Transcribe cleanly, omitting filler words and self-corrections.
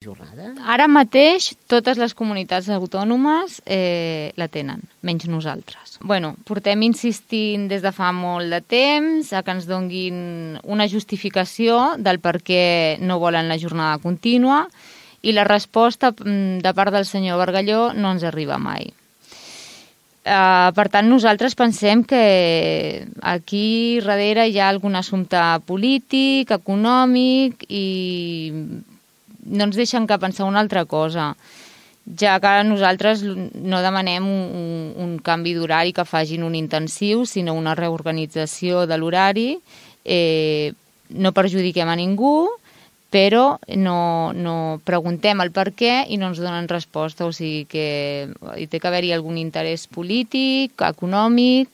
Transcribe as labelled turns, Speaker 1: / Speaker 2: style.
Speaker 1: jornada?
Speaker 2: Ara mateix totes les comunitats autònomes la tenen, menys nosaltres. Portem insistint des de fa molt de temps a que ens donguin una justificació del per què no volen la jornada contínua i la resposta de part del senyor Bargalló no ens arriba mai. Per tant, nosaltres pensem que aquí darrere hi ha algun assumpte polític, econòmic i no ens deixen que pensar una altra cosa, ja que nosaltres no demanem un canvi d'horari que facin un intensiu, sinó una reorganització de l'horari. No perjudiquem a ningú, però no preguntem el per què i no ens donen resposta. O sigui que hi té que haver-hi algun interès polític, econòmic,